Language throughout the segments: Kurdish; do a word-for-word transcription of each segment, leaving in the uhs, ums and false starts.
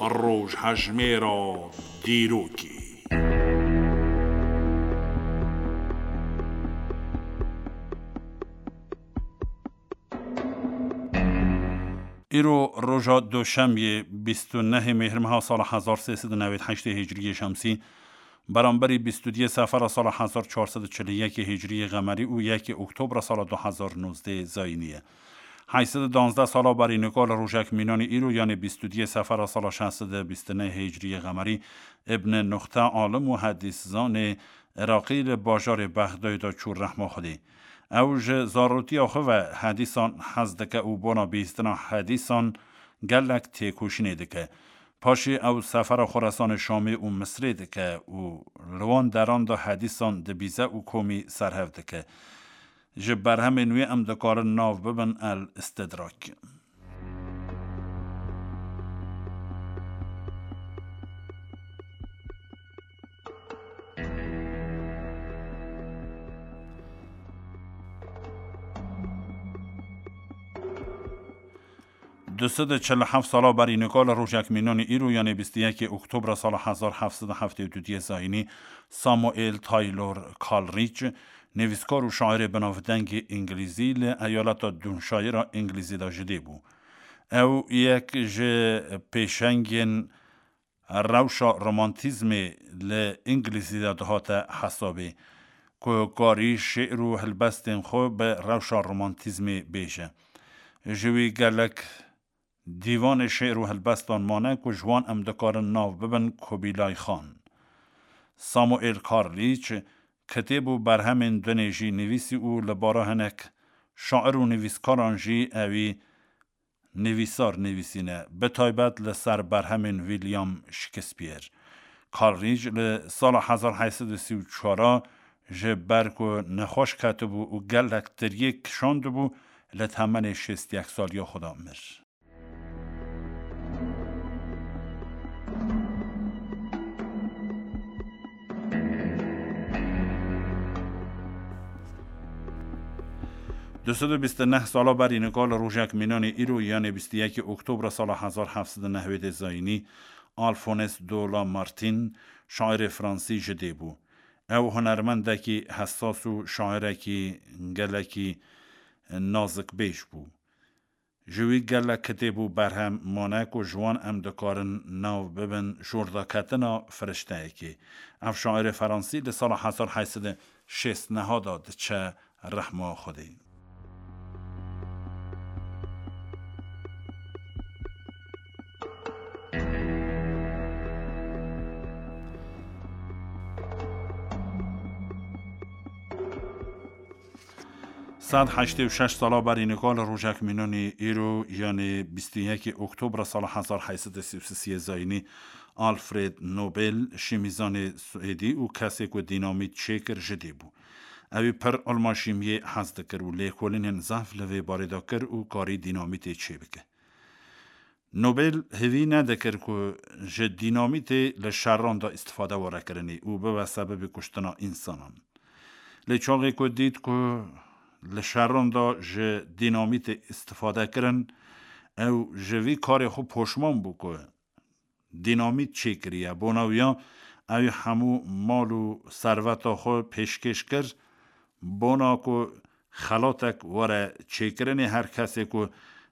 Rojhejmêra dîrokê. Îro roja doşemiyê bîst û nehê Mêhrmeha sala hezar sê sed û newêd heştê Hicriyê Şemsî, beramberî bîst û duyê Sefera sala hezar çar sed û çil û yekê Hicriyê Qemerî û yekê Oktobra sala du hezar nozdeh Zayînî ye. Heyt sed û danzdeh sala berî nika li rojek mînanî îro, yanê bîst û duyê Sefera sala şeş sed û bîst û neh Hicriyê Qemerî, Ibn Nuxte, alim û hedîszanê Iraqî, li bajarê Bexdayê de çû rehma Xwedê. Ew ji zarotiya xwe ve hedîsan hez dike û bona bihîstina hedîsan gelek têkoşînê dike. Paşê ew sefera Xoresanê Şamê û Misrê dike û li wan deran de hedîsan dibîze û komî serhev dike. Ji berhemên wê em dikarin nav bibin El Istidrak. Du sed û çil û heft sala berî nika li rojek mînanî îro, yanê bîst û yekê Oktobra sala hezar heft sed û heftê û du Zayînî, Samuel Taylor Coleridge, nivîskar û şairê binavdengê îngilîzî, li eyaleta Dûnşayira Îngilîzî de ji dê bû. Ew yek ji pêşengên rewşa romantîzmê li Îngilîzî de dihate hesabê, ku karî şi'r û helbestên xwe bi rewşa romantîzmê bêje. Ji wî gelek dîwanê şi'r û helbestan mane, ku ji wan em dikarin nav bibin Kubilay Xan. Samuel Coleridge kitêb û berhemên dunê jî nivîsî û li bara hinek şair û nivîskaran jî ewî nivîsar nivîsîne, bi taybet li ser berhemên William Shakespeare. Coleridge li sala hezar heyt sed û sî û çar ji ber ku nexweş ketibû û gelek tiriyê kişandibû, li temenê şêst û yek saliya xwe de mir. Du sed û bîst û neh sala berî nika li rojek mînanê îro, yanê bîst û yekê Oktobra sala hezar heft sed û newêdê Zayînî, Alphonse de Lamartine, şairê fransî ji dê bû. Ew hunermendekî hesas û şairekî gelekî nazikbêj bû. Ji wî gelek kitêb û berhem mane ku ji wan em dikarin nav bibin Jordaketina Firişteyekê. Ev şairê fransî li sala hezar heyt sed û şêst neha de diçe rehma Xwedê. Sed heştê û şeş sala berî nika li rojek mînanî îro, yanê bîst û yekê Oktobra sala hezar heyt sed û sî û sê Zayînî, Alfred Nobel, şîmîzanê Swêdî û kesê ku dînamît çêkir, ji dê bû. Ewî pir ilma şîmiyê hez dikir û lêkolînên zehf li vê barê de kir û karî dînamîtê çêbike. Nobel hêvî nedikir ku ji dînamîtê li şeran de îstifade were kirinê û bibe sebebê kuştina însanan. Lê çaxê ku dît ku li şeran de ji dînamîtê îstifade kirin, ew ji vî karê xwe poşman bû ku dînamît çêkiriye. Bona wiya, ew hemû mal û serveta xwe pêşkêş kir, bona ku xelatek were çêkirinê her kesê ku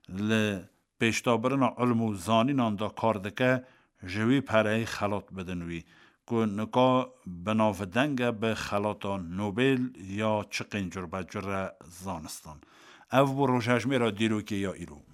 li pêşdabirina ilm û zanînan de kar dike, ji wî pereyê xelat bidin wî, ku nika bi navdeng e bi xelata Nobel ya çi qêncur be cure zanistan. Ev bû rojhejmêra dîrokê ya îro.